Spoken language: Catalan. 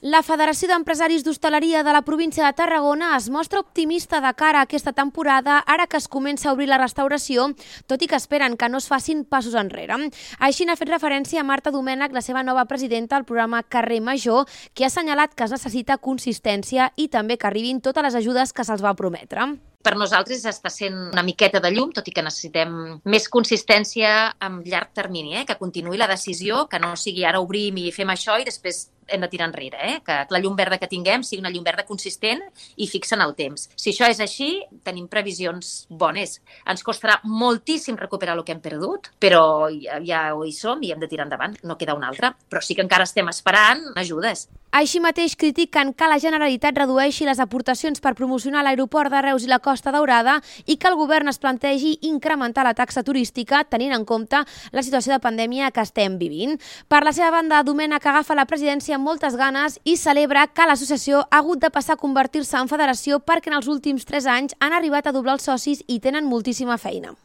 La Federació d'Empresaris d'Hostaleria de la província de Tarragona es mostra optimista de cara a aquesta temporada, ara que es comença a obrir la restauració, tot i que esperen que no es facin passos enrere. Així n'ha fet referència Marta Domènech, la seva nova presidenta al programa Carrer Major, que ha assenyalat que es necessita consistència i també que arribin totes les ajudes que se'ls va prometre. Per nosaltres està sent una miqueta de llum, tot i que necessitem més consistència a llarg termini, que continuï la decisió, que no sigui ara obrim i fem això i després hem de tirar enrere, que la llum verda que tinguem sigui una llum verda consistent i fixa en el temps. Si això és així, tenim previsions bones. Ens costarà moltíssim recuperar el que hem perdut, però ja hi som i hem de tirar endavant, no queda una altra. Però sí que encara estem esperant ajudes. Així mateix critiquen que la Generalitat redueixi les aportacions per promocionar l'aeroport de Reus i la Costa Daurada i que el govern es plantegi incrementar la taxa turística tenint en compte la situació de pandèmia que estem vivint. Per la seva banda, Domènech agafa la presidència amb moltes ganes i celebra que l'associació ha hagut de passar a convertir-se en federació perquè en els últims 3 anys han arribat a doblar els socis i tenen moltíssima feina.